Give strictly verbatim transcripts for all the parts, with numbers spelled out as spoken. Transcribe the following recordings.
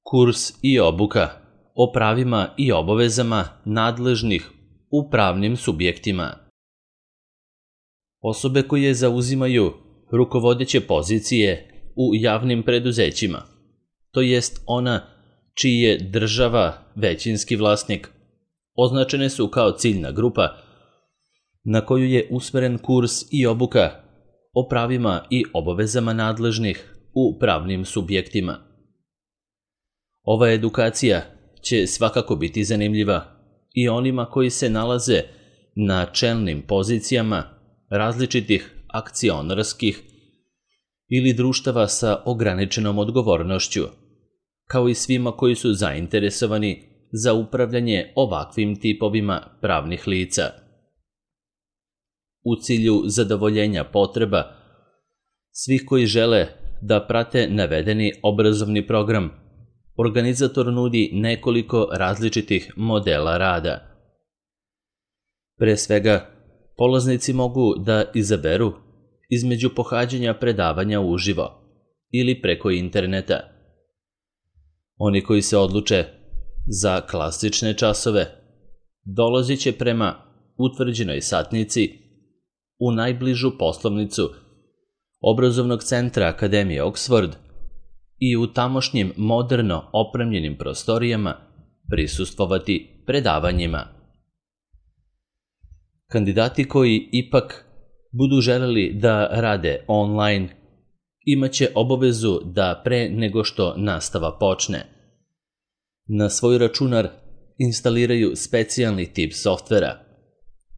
Kurs i obuka o pravima i obavezama nadležnih u pravnim subjektima. Osobe koje zauzimaju rukovodeće pozicije u javnim preduzećima, to jest ona čiji je država većinski vlasnik, označene su kao ciljna grupa na koju je usmeren kurs i obuka o pravima i obavezama nadležnih u pravnim subjektima. Ova edukacija će svakako biti zanimljiva i onima koji se nalaze na čelnim pozicijama različitih akcionarskih ili društava sa ograničenom odgovornošću, kao i svima koji su zainteresovani za upravljanje ovakvim tipovima pravnih lica. U cilju zadovoljenja potreba svih koji žele da prate navedeni obrazovni program, organizator nudi nekoliko različitih modela rada. Pre svega, polaznici mogu da izaberu između pohađanja predavanja uživo ili preko interneta. Oni koji se odluče za klasične časove dolazit će prema utvrđenoj satnici u najbližu poslovnicu obrazovnog centra Akademije Oxford i u tamošnjim moderno opremljenim prostorijama prisustvovati predavanjima. Kandidati koji ipak budu želeli da rade online imaće obavezu da pre nego što nastava počne na svoj računar instaliraju specijalni tip softvera,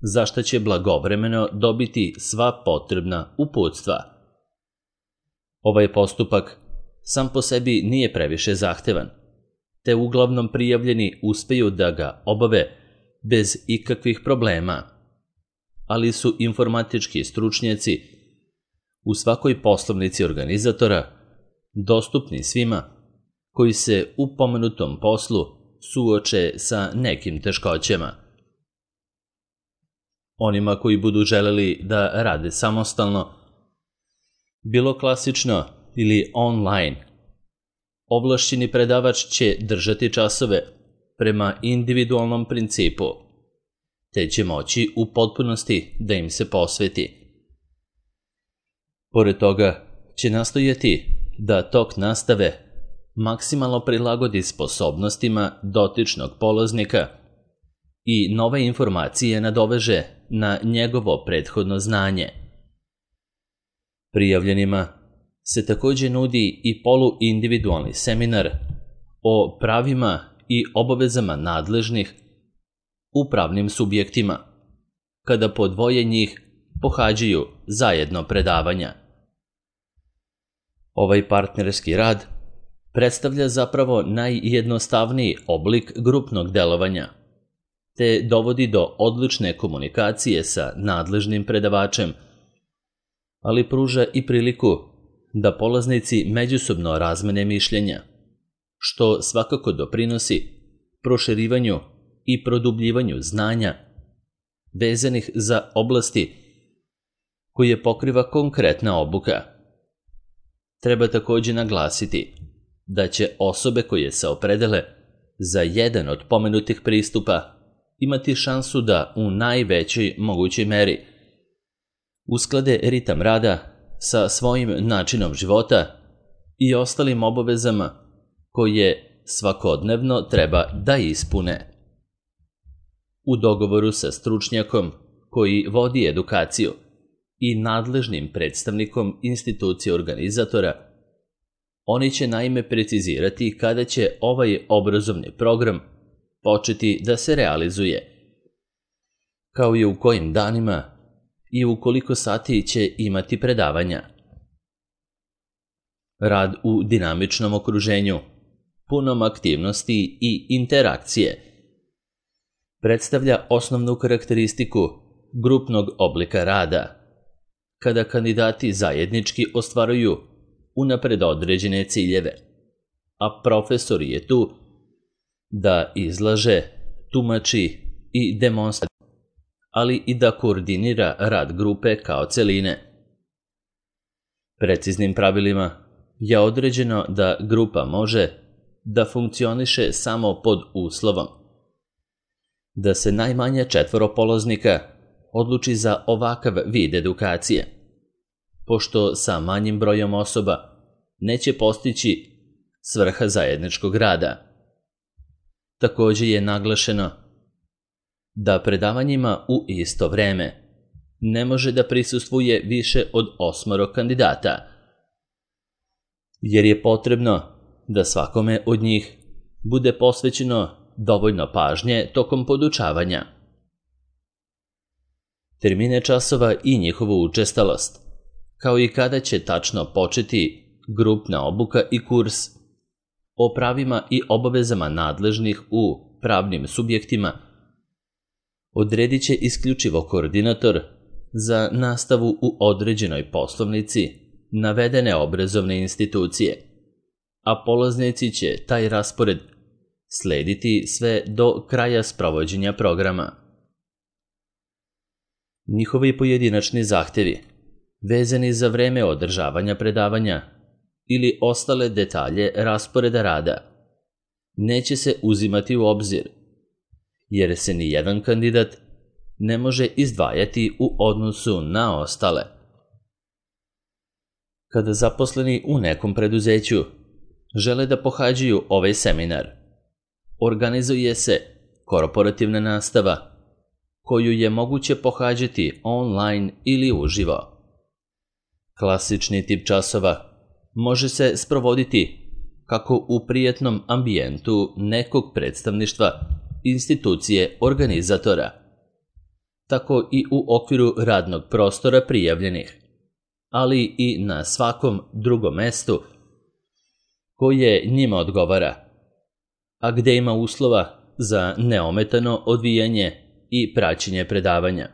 za što će blagovremeno dobiti sva potrebna uputstva. Ovaj postupak sam po sebi nije previše zahtevan, te uglavnom prijavljeni uspeju da ga obave bez ikakvih problema, ali su informatički stručnjaci u svakoj poslovnici organizatora dostupni svima koji se u pomenutom poslu suoče sa nekim teškoćama. Onima koji budu želeli da rade samostalno, bilo klasično ili online, ovlašćeni predavač će držati časove prema individualnom principu, te će moći u potpunosti da im se posveti. Pored toga će nastojati da tok nastave maksimalno prilagodi sposobnostima dotičnog polaznika i nove informacije nadoveže na njegovo prethodno znanje. Prijavljenima se takođe nudi i poluindividualni seminar o pravima i obavezama nadležnih u pravnim subjektima, kada po dvoje njih pohađaju zajedno predavanja. Ovaj partnerski rad predstavlja zapravo najjednostavniji oblik grupnog delovanja, te dovodi do odlične komunikacije sa nadležnim predavačem, ali pruža i priliku da polaznici međusobno razmene mišljenja, što svakako doprinosi proširivanju i produbljivanju znanja vezanih za oblasti koje pokriva konkretna obuka. Treba takođe naglasiti da će osobe koje se opredele za jedan od pomenutih pristupa imati šansu da u najvećoj mogućoj meri usklade ritam rada sa svojim načinom života i ostalim obavezama koje svakodnevno treba da ispune. U dogovoru sa stručnjakom koji vodi edukaciju i nadležnim predstavnikom institucije organizatora, oni će naime precizirati kada će ovaj obrazovni program početi da se realizuje, kao i u kojim danima i u koliko sati će imati predavanja. Rad u dinamičnom okruženju, punom aktivnosti i interakcije, predstavlja osnovnu karakteristiku grupnog oblika rada, kada kandidati zajednički ostvaruju unapred određene ciljeve, a profesor je tu da izlaže, tumači i demonstrira, ali i da koordinira rad grupe kao celine. Preciznim pravilima je određeno da grupa može da funkcioniše samo pod uslovom da se najmanje četvoro polaznika odluči za ovakav vid edukacije, pošto sa manjim brojem osoba neće postići svrha zajedničkog rada. Također je naglašeno da predavanjima u isto vreme ne može da prisustvuje više od osmoro kandidata, jer je potrebno da svakome od njih bude posvećeno dovoljno pažnje tokom podučavanja. Termine časova i njihovu učestalost, kao i kada će tačno početi grupna obuka i kurs o pravima i obavezama nadležnih u pravnim subjektima, odredit će isključivo koordinator za nastavu u određenoj poslovnici navedene obrazovne institucije, a polaznici će taj raspored slediti sve do kraja sprovođenja programa. Njihovi pojedinačni zahtevi, vezani za vreme održavanja predavanja ili ostale detalje rasporeda rada, neće se uzimati u obzir, jer se ni jedan kandidat ne može izdvajati u odnosu na ostale. Kada zaposleni u nekom preduzeću žele da pohađaju ovaj seminar, organizuje se korporativna nastava, koju je moguće pohađati online ili uživo. Klasični tip časova može se sprovoditi kako u prijetnom ambijentu nekog predstavništva institucije organizatora, tako i u okviru radnog prostora prijavljenih, ali i na svakom drugom mestu koje njima odgovara, a gde ima uslova za neometano odvijanje i praćenje predavanja.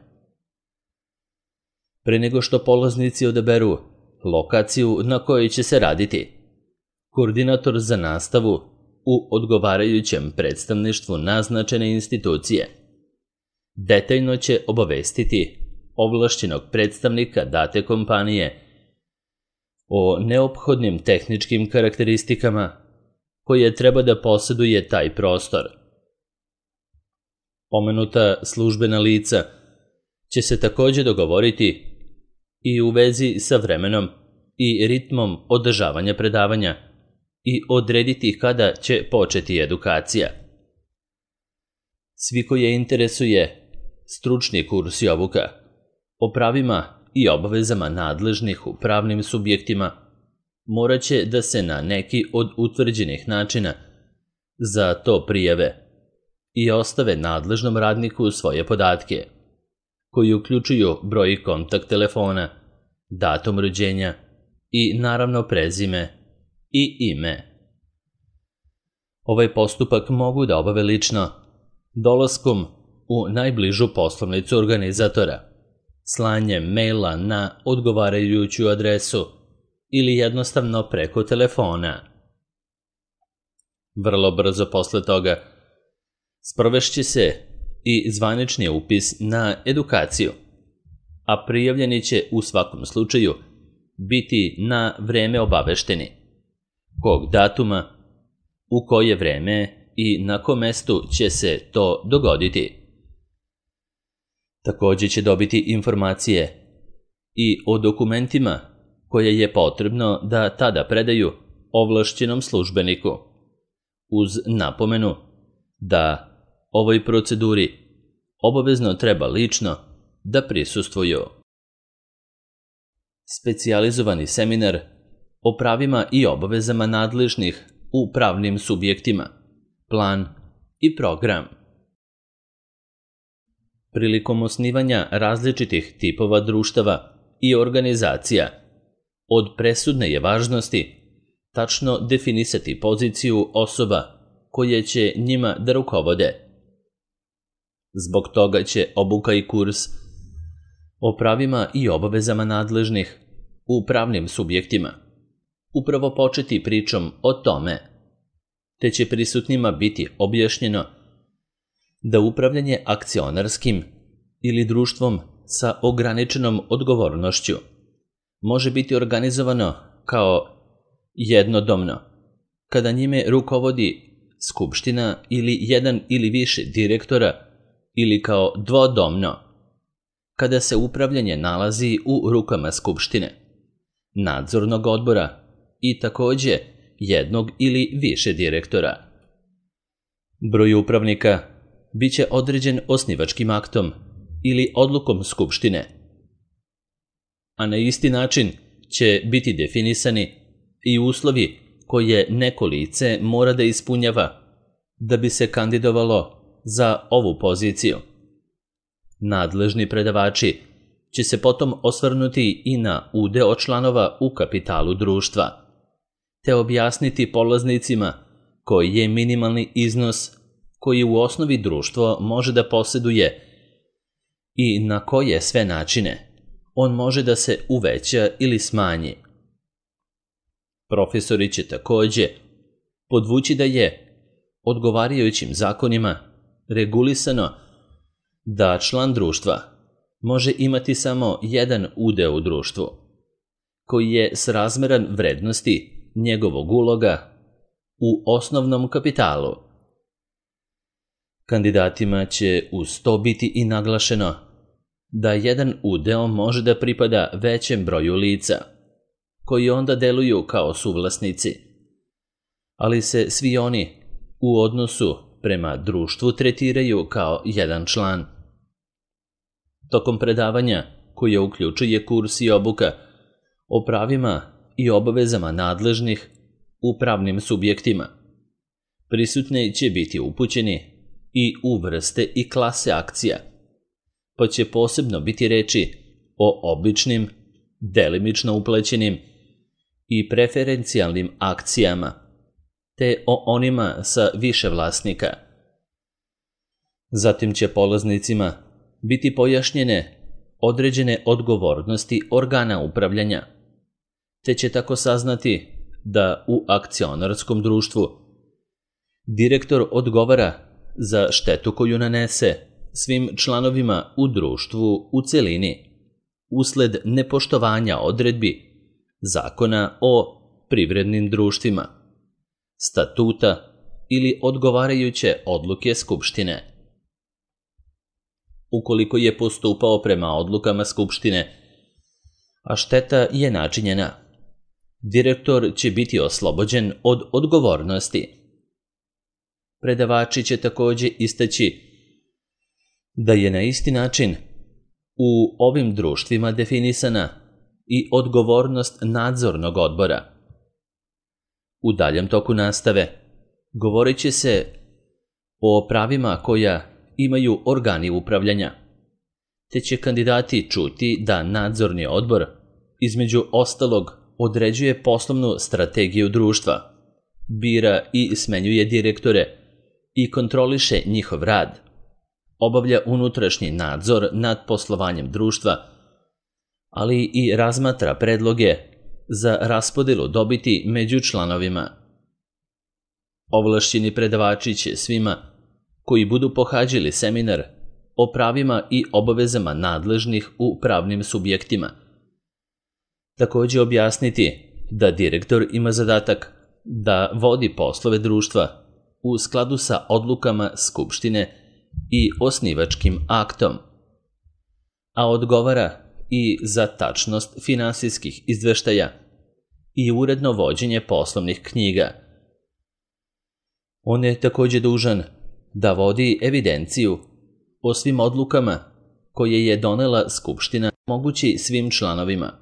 Pre nego što polaznici odaberu lokaciju na kojoj će se raditi, koordinator za nastavu u odgovarajućem predstavništvu naznačene institucije detaljno će obavestiti ovlašćenog predstavnika date kompanije o neophodnim tehničkim karakteristikama koje treba da posjeduje taj prostor. Pomenuta službena lica će se također dogovoriti i u vezi sa vremenom i ritmom održavanja predavanja i odrediti kada će početi edukacija. Svi koje interesuje stručni kurs i obuka o pravima i obavezama nadležnih u pravnim subjektima morat će da se na neki od utvrđenih načina za to prijave i ostave nadležnom radniku svoje podatke, koji uključuju broj kontakt telefona, datum rođenja i naravno prezime i ime. Ovaj postupak mogu da obave lično, dolaskom u najbližu poslovnicu organizatora, slanjem maila na odgovarajuću adresu ili jednostavno preko telefona. Vrlo brzo posle toga sprovešće se i zvanični upis na edukaciju, a prijavljeni će u svakom slučaju biti na vreme obavešteni, kog datuma, u koje vreme i na kom mestu će se to dogoditi. Također će dobiti informacije i o dokumentima koje je potrebno da tada predaju ovlašćenom službeniku, uz napomenu da ovoj proceduri obavezno treba lično da prisustvuju. Specijalizovani seminar o pravima i obavezama nadležnih u pravnim subjektima, plan i program. Prilikom osnivanja različitih tipova društava i organizacija, od presudne je važnosti tačno definisati poziciju osoba koje će njima da rukovode. Zbog toga će obuka i kurs o pravima i obavezama nadležnih u pravnim subjektima upravo početi pričom o tome, te će prisutnima biti objašnjeno da upravljanje akcionarskim ili društvom sa ograničenom odgovornošću može biti organizovano kao jednodomno, kada njime rukovodi skupština ili jedan ili više direktora ili kao dvodomno, kada se upravljanje nalazi u rukama skupštine, nadzornog odbora i takođe jednog ili više direktora. Broj upravnika biće određen osnivačkim aktom ili odlukom skupštine, a na isti način će biti definisani i uslovi koje neko lice mora da ispunjava da bi se kandidovalo za ovu poziciju. Nadležni predavači će se potom osvrnuti i na udeo članova u kapitalu društva, te objasniti polaznicima koji je minimalni iznos koji u osnovi društvo može da poseduje i na koje sve načine on može da se uveća ili smanji. Profesori će takođe podvući da je odgovarajućim zakonima regulisano da član društva može imati samo jedan udeo u društvu, koji je srazmeran vrednosti njegovog uloga u osnovnom kapitalu. Kandidatima će uz to biti i naglašeno da jedan udeo može da pripada većem broju lica, koji onda deluju kao suvlasnici, ali se svi oni u odnosu prema društvu tretiraju kao jedan član. Tokom predavanja, koje uključuje kurs i obuka o pravima i obavezama nadležnih u pravnim subjektima, prisutni će biti upućeni i u vrste i klase akcija, pa će posebno biti reči o običnim, delimično uplećenim i preferencijalnim akcijama, te o onima sa više vlasnika. Zatim će polaznicima biti pojašnjene određene odgovornosti organa upravljanja, te će tako saznati da u akcionarskom društvu direktor odgovara za štetu koju nanese svim članovima u društvu u celini usled nepoštovanja odredbi Zakona o privrednim društvima, statuta ili odgovarajuće odluke skupštine. Ukoliko je postupao prema odlukama skupštine, a šteta je načinjena, direktor će biti oslobođen od odgovornosti. Predavači će takođe istaći da je na isti način u ovim društvima definisana i odgovornost nadzornog odbora. U daljem toku nastave govorit će se o pravima koja imaju organi upravljanja, te će kandidati čuti da nadzorni odbor, između ostalog, određuje poslovnu strategiju društva, bira i smenjuje direktore i kontroliše njihov rad, obavlja unutrašnji nadzor nad poslovanjem društva, ali i razmatra predloge za raspodelu dobiti među članovima. Ovlašćeni predavači će svima koji budu pohađali seminar o pravima i obavezama nadležnih u pravnim subjektima takođe objasniti da direktor ima zadatak da vodi poslove društva u skladu sa odlukama skupštine i osnivačkim aktom, a odgovara i za tačnost finansijskih izveštaja i uredno vođenje poslovnih knjiga. On je takođe dužan da vodi evidenciju o svim odlukama koje je donela skupština, mogući svim članovima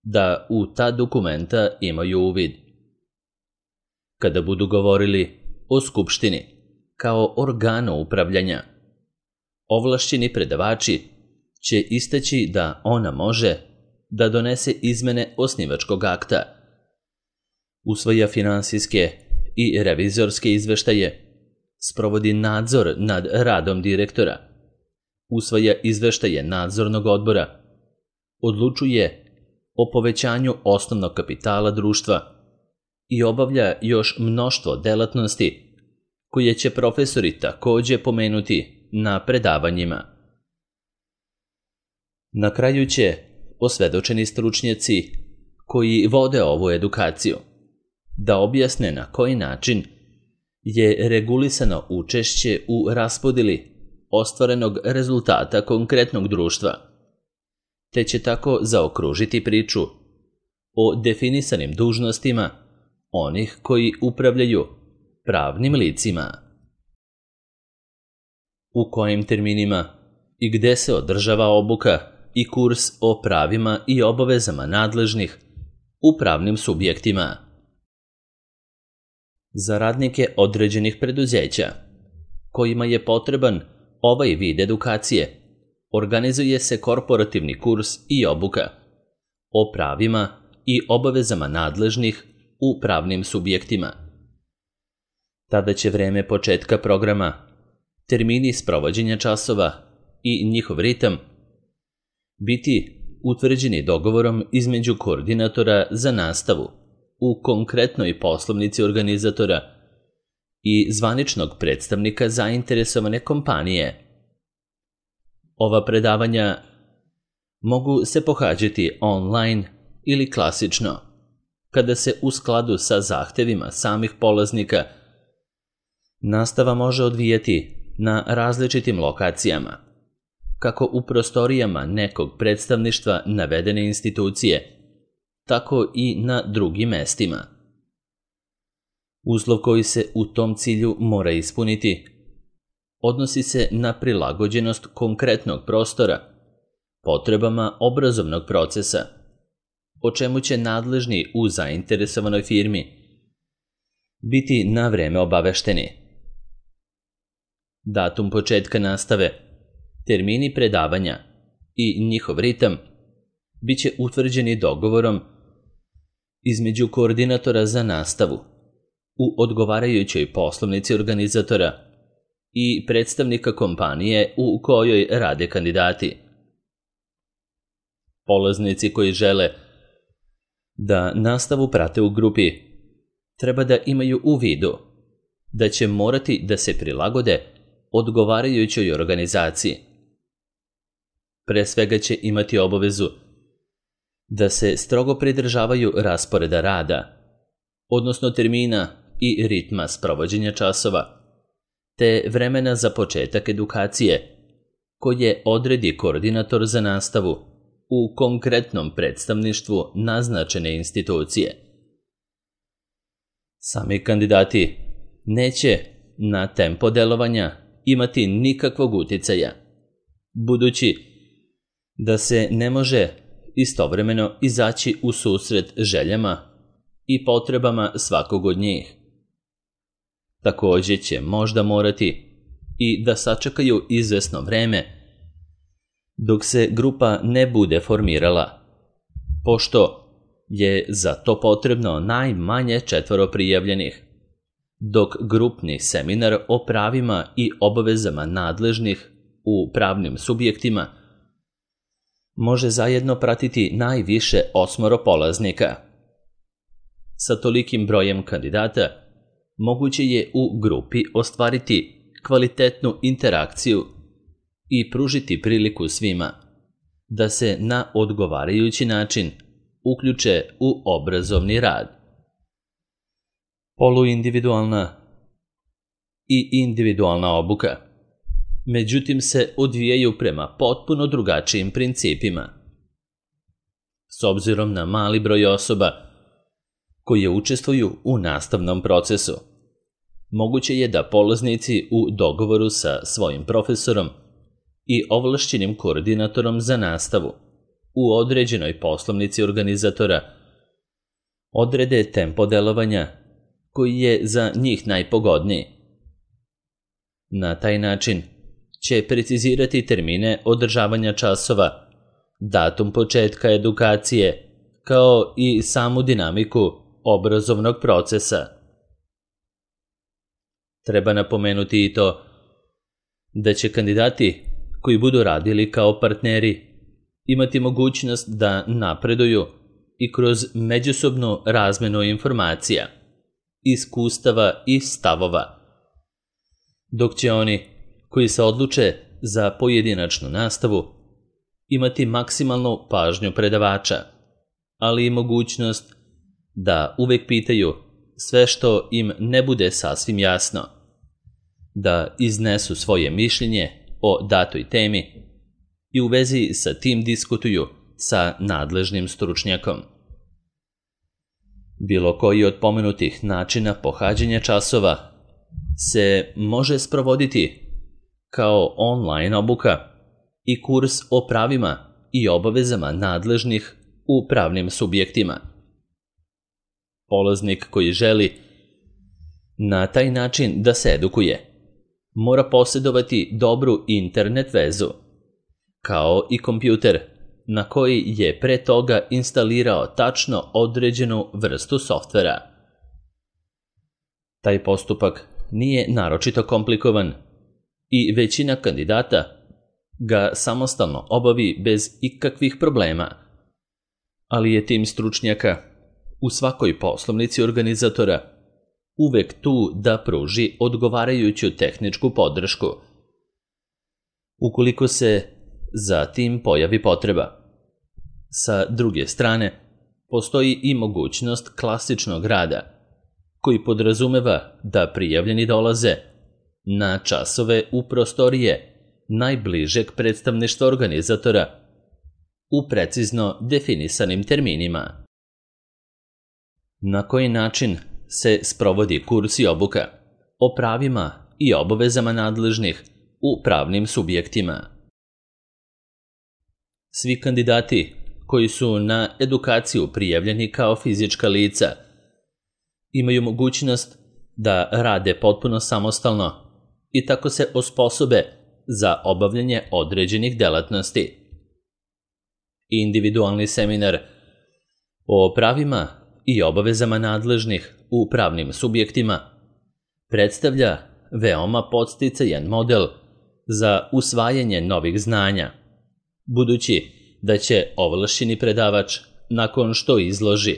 da u ta dokumenta imaju uvid. Kada budu govorili o skupštini kao organu upravljanja, ovlašćeni predavači će istaći da ona može da donese izmene osnivačkog akta, usvaja finansijske i revizorske izveštaje, sprovodi nadzor nad radom direktora, usvaja izveštaje nadzornog odbora, odlučuje o povećanju osnovnog kapitala društva i obavlja još mnoštvo delatnosti koje će profesori takođe pomenuti na predavanjima. Na kraju će osvedočeni stručnjaci koji vode ovu edukaciju da objasne na koji način je regulisano učešće u raspodjeli ostvarenog rezultata konkretnog društva, te će tako zaokružiti priču o definisanim dužnostima onih koji upravljaju pravnim licima. U kojim terminima i gde se održava obuka i kurs o pravima i obavezama nadležnih u pravnim subjektima. Za radnike određenih preduzeća kojima je potreban ovaj vid edukacije, organizuje se korporativni kurs i obuka o pravima i obavezama nadležnih u pravnim subjektima. Tada će vreme početka programa, termini sprovođenja časova i njihov ritam biti utvrđeni dogovorom između koordinatora za nastavu u konkretnoj poslovnici organizatora i zvaničnog predstavnika zainteresovane kompanije. Ova predavanja mogu se pohađati online ili klasično, kada se u skladu sa zahtevima samih polaznika nastava može odvijati na različitim lokacijama, kako u prostorijama nekog predstavništva navedene institucije, tako i na drugim mestima. Uslov koji se u tom cilju mora ispuniti odnosi se na prilagođenost konkretnog prostora potrebama obrazovnog procesa, o čemu će nadležni u zainteresovanoj firmi biti na vreme obavešteni. Datum početka nastave, termini predavanja i njihov ritam biće utvrđeni dogovorom između koordinatora za nastavu u odgovarajućoj poslovnici organizatora i predstavnika kompanije u kojoj rade kandidati. Polaznici koji žele da nastavu prate u grupi treba da imaju u vidu da će morati da se prilagode odgovarajućoj organizaciji. Pre svega će imati obavezu da se strogo pridržavaju rasporeda rada, odnosno termina i ritma sprovođenja časova, te vremena za početak edukacije koje odredi koordinator za nastavu u konkretnom predstavništvu naznačene institucije. Sami kandidati neće na tempo delovanja imati nikakvog uticaja, budući da se ne može istovremeno izaći u susret željama i potrebama svakog od njih. Također će možda morati i da sačekaju izvesno vreme dok se grupa ne bude formirala, pošto je za to potrebno najmanje četvoro prijavljenih, dok grupni seminar o pravima i obavezama nadležnih u pravnim subjektima može zajedno pratiti najviše osmoro polaznika. Sa tolikim brojem kandidata moguće je u grupi ostvariti kvalitetnu interakciju i pružiti priliku svima da se na odgovarajući način uključe u obrazovni rad. Poluindividualna i individualna obuka, međutim, se odvijaju prema potpuno drugačijim principima. S obzirom na mali broj osoba koje učestvuju u nastavnom procesu, moguće je da polaznici u dogovoru sa svojim profesorom i ovlašćenim koordinatorom za nastavu u određenoj poslovnici organizatora odrede tempo delovanja koji je za njih najpogodniji. Na taj način će precizirati termine održavanja časova, datum početka edukacije, kao i samu dinamiku obrazovnog procesa. Treba napomenuti i to da će kandidati koji budu radili kao partneri imati mogućnost da napreduju i kroz međusobnu razmenu informacija, iskustava i stavova, dok će oni koji se odluče za pojedinačnu nastavu imati maksimalnu pažnju predavača, ali i mogućnost da uvek pitaju sve što im ne bude sasvim jasno, da iznesu svoje mišljenje o datoj temi i u vezi sa tim diskutuju sa nadležnim stručnjakom. Bilo koji od pomenutih načina pohađanja časova se može sprovoditi kao online obuka i kurs o pravima i obavezama nadležnih u pravnim subjektima. Polaznik koji želi na taj način da se edukuje mora posjedovati dobru internet vezu, kao i kompjuter na koji je pre toga instalirao tačno određenu vrstu softvera. Taj postupak nije naročito komplikovan i većina kandidata ga samostalno obavi bez ikakvih problema, ali je tim stručnjaka u svakoj poslovnici organizatora uvek tu da pruži odgovarajuću tehničku podršku, ukoliko se za tim pojavi potreba. Sa druge strane, postoji i mogućnost klasičnog rada, koji podrazumeva da prijavljeni dolaze na časove u prostorije najbližeg predstavništva organizatora u precizno definisanim terminima. Na koji način se sprovodi kurs i obuka o pravima i obavezama nadležnih u pravnim subjektima? Svi kandidati koji su na edukaciju prijavljeni kao fizička lica imaju mogućnost da rade potpuno samostalno i tako se osposobe za obavljanje određenih delatnosti. Individualni seminar o pravima i obavezama nadležnih u pravnim subjektima predstavlja veoma podsticajan model za usvajanje novih znanja, budući da će ovlašćeni predavač, nakon što izloži,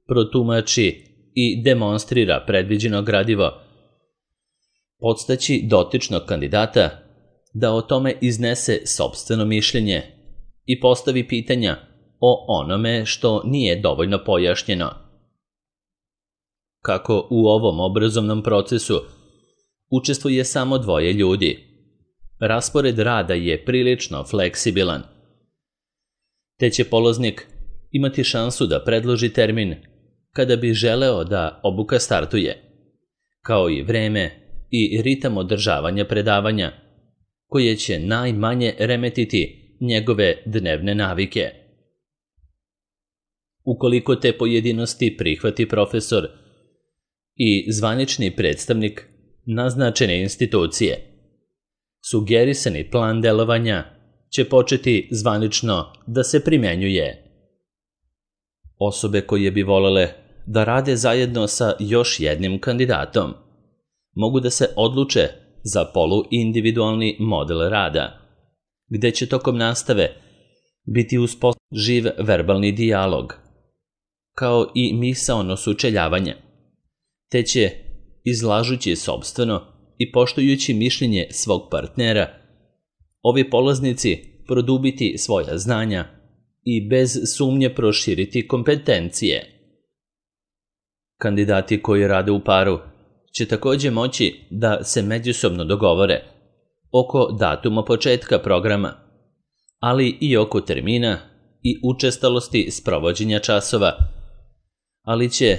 protumači i demonstrira predviđeno gradivo, podstaći dotičnog kandidata da o tome iznese sopstveno mišljenje i postavi pitanja o onome što nije dovoljno pojašnjeno. Kako u ovom obrazovnom procesu učestvuje samo dvoje ljudi, raspored rada je prilično fleksibilan, te će polaznik imati šansu da predloži termin kada bi želeo da obuka startuje, kao i vreme i ritam održavanja predavanja, koje će najmanje remetiti njegove dnevne navike. Ukoliko te pojedinosti prihvati profesor i zvanični predstavnik naznačene institucije, sugerisani plan delovanja će početi zvanično da se primenjuje. Osobe koje bi volele da rade zajedno sa još jednim kandidatom mogu da se odluče za poluindividualni model rada, gde će tokom nastave biti uspostavljen živ verbalni dijalog, kao i misaono sučeljavanje, te će, izlažući sopstveno i poštujući mišljenje svog partnera, ovi polaznici produbiti svoja znanja i bez sumnje proširiti kompetencije. Kandidati koji rade u paru će takođe moći da se međusobno dogovore oko datuma početka programa, ali i oko termina i učestalosti sprovođenja časova, ali će,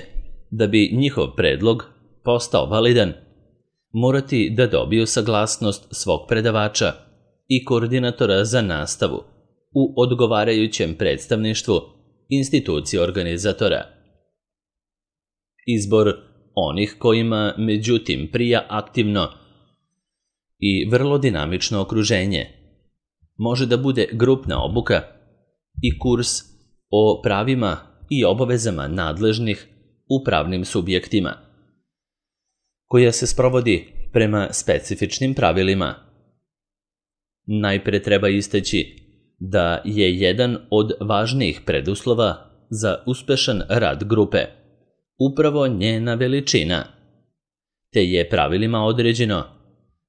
da bi njihov predlog postao validan, morati da dobiju saglasnost svog predavača i koordinatora za nastavu u odgovarajućem predstavništvu institucije organizatora. Izbor onih kojima, međutim, prija aktivno i vrlo dinamično okruženje može da bude grupna obuka i kurs o pravima i obavezama nadležnih u pravnim subjektima, koja se sprovodi prema specifičnim pravilima. Najpre treba istaći da je jedan od važnijih preduslova za uspešan rad grupe upravo njena veličina, te je pravilima određeno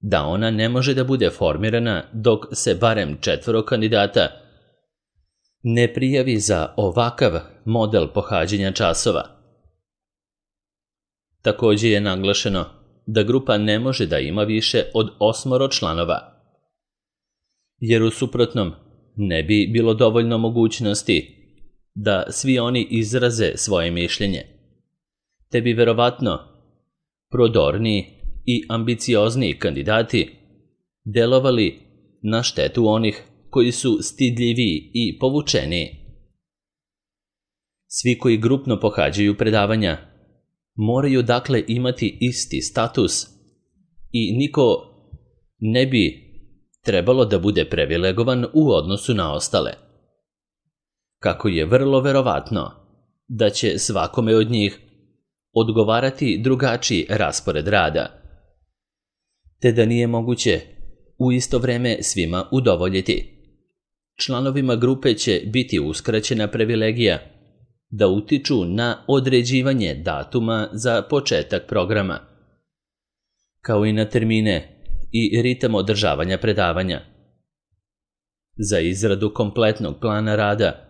da ona ne može da bude formirana dok se barem četvoro kandidata ne prijavi za ovakav model pohađanja časova. Također je naglašeno da grupa ne može da ima više od osmoro članova, jer u suprotnom ne bi bilo dovoljno mogućnosti da svi oni izraze svoje mišljenje, te bi verovatno prodorniji i ambiciozniji kandidati delovali na štetu onih koji su stidljiviji i povučeniji. Svi koji grupno pohađaju predavanja moraju dakle imati isti status i niko ne bi trebalo da bude privilegovan u odnosu na ostale. Kako je vrlo verovatno da će svakome od njih odgovarati drugačiji raspored rada, te da nije moguće u isto vreme svima udovoljiti. Članovima grupe će biti uskraćena privilegija da utiču na određivanje datuma za početak programa, kao i na termine i ritam održavanja predavanja. Za izradu kompletnog plana rada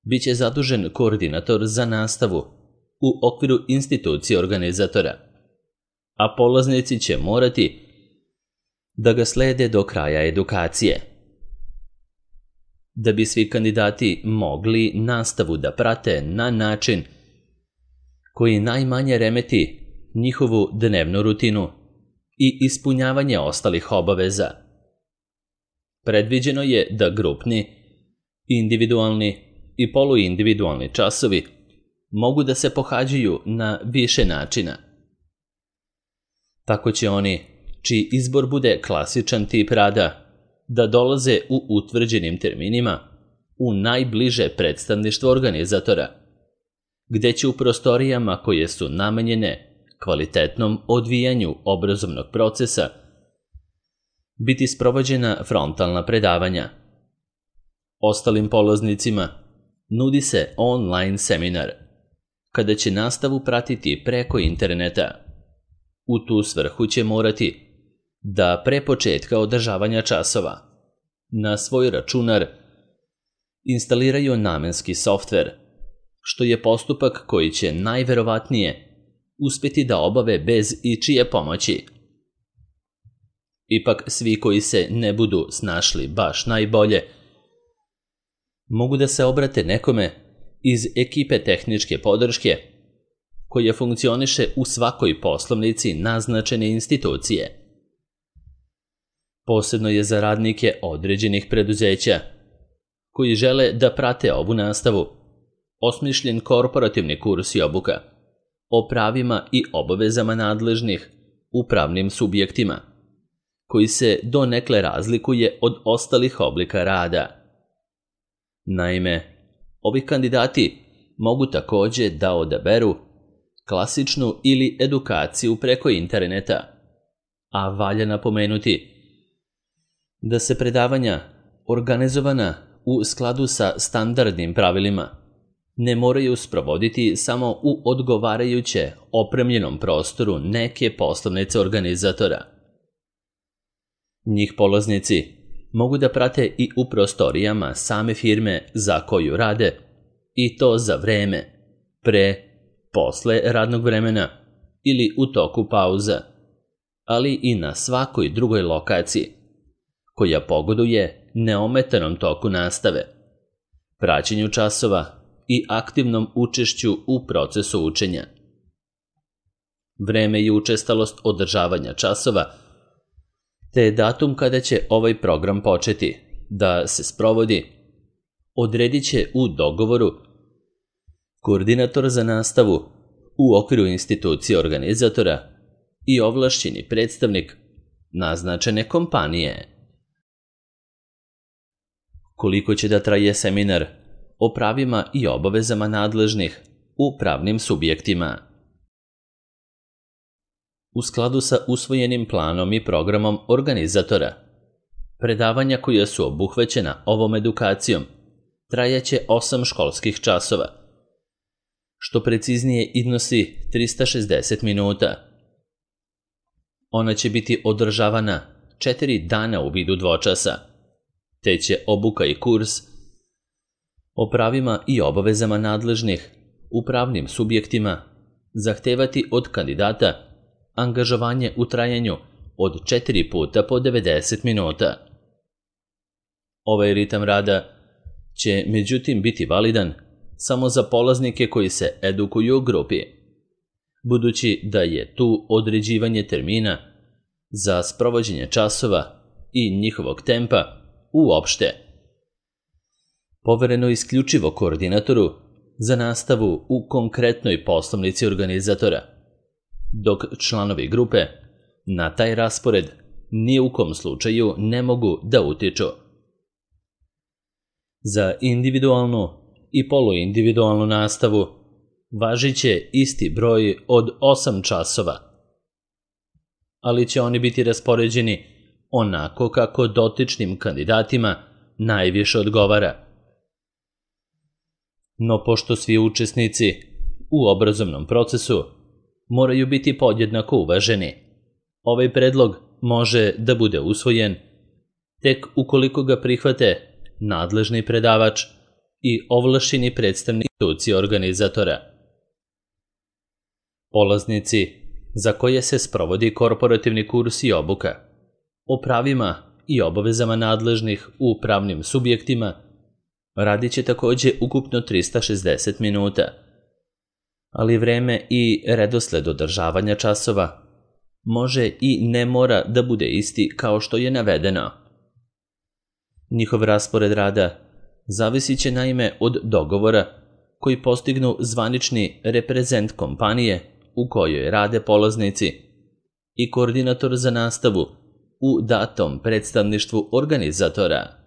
biće zadužen koordinator za nastavu u okviru institucije organizatora, a polaznici će morati da ga slede do kraja edukacije. Da bi svi kandidati mogli nastavu da prate na način koji najmanje remeti njihovu dnevnu rutinu i ispunjavanje ostalih obaveza, predviđeno je da grupni, individualni i poluindividualni časovi mogu da se pohađaju na više načina. Tako će oni, čiji izbor bude klasičan tip rada, da dolaze u utvrđenim terminima u najbliže predstavništvo organizatora, gde će u prostorijama koje su namenjene kvalitetnom odvijanju obrazovnog procesa biti sprovođena frontalna predavanja. Ostalim polaznicima nudi se online seminar, kada će nastavu pratiti preko interneta. U tu svrhu će morati da pre početka održavanja časova na svoj računar instaliraju namenski softver, što je postupak koji će najverovatnije uspjeti da obave bez ičije pomoći. Ipak svi koji se ne budu snašli baš najbolje mogu da se obrate nekome iz ekipe tehničke podrške koja funkcioniše u svakoj poslovnici naznačene institucije. Posebno je za radnike određenih preduzeća koji žele da prate ovu nastavu osmišljen korporativni kurs i obuka o pravima i obavezama nadležnih u pravnim subjektima, koji se donekle razlikuje od ostalih oblika rada. Naime, ovi kandidati mogu također da odaberu klasičnu ili edukaciju preko interneta, a valja napomenuti da se predavanja organizovana u skladu sa standardnim pravilima ne moraju sprovoditi samo u odgovarajuće opremljenom prostoru neke poslovnice organizatora. Njih polaznici mogu da prate i u prostorijama same firme za koju rade, i to za vreme, pre, posle radnog vremena ili u toku pauza, ali i na svakoj drugoj lokaciji koja pogoduje neometanom toku nastave, praćenju časova i aktivnom učešću u procesu učenja. Vreme i učestalost održavanja časova te datum kada će ovaj program početi da se sprovodi odredit će u dogovoru koordinator za nastavu u okviru institucije organizatora i ovlašćeni predstavnik naznačene kompanije. Koliko će da traje seminar o pravima i obavezama nadležnih u pravnim subjektima? U skladu sa usvojenim planom i programom organizatora, predavanja koja su obuhvaćena ovom edukacijom trajaće osam školskih časova, što preciznije iznosi trista šezdeset minuta. Ona će biti održavana četiri dana u vidu dvočasa, te će obuka i kurs o pravima i obavezama nadležnih u pravnim subjektima zahtevati od kandidata angažovanje u trajanju od četiri puta po devedeset minuta. Ovaj ritam rada će međutim biti validan samo za polaznike koji se edukuju u grupi, budući da je tu određivanje termina za sprovođenje časova i njihovog tempa uopšte povereno isključivo koordinatoru za nastavu u konkretnoj poslovnici organizatora, dok članovi grupe na taj raspored ni u kom slučaju ne mogu da utiču. Za individualnu i poluindividualnu nastavu važit će isti broj od osam časova, ali će oni biti raspoređeni onako kako dotičnim kandidatima najviše odgovara. No pošto svi učesnici u obrazovnom procesu moraju biti podjednako uvaženi, ovaj predlog može da bude usvojen tek ukoliko ga prihvate nadležni predavač i ovlašćeni predstavnik institucije organizatora. Polaznici za koje se sprovodi korporativni kurs i obuka o pravima i obavezama nadležnih u pravnim subjektima radit će takođe ukupno trista šezdeset minuta, ali vreme i redosled održavanja časova može i ne mora da bude isti kao što je navedeno. Njihov raspored rada zavisit će naime od dogovora koji postignu zvanični reprezent kompanije u kojoj rade polaznici i koordinator za nastavu u datom predstavništvu organizatora.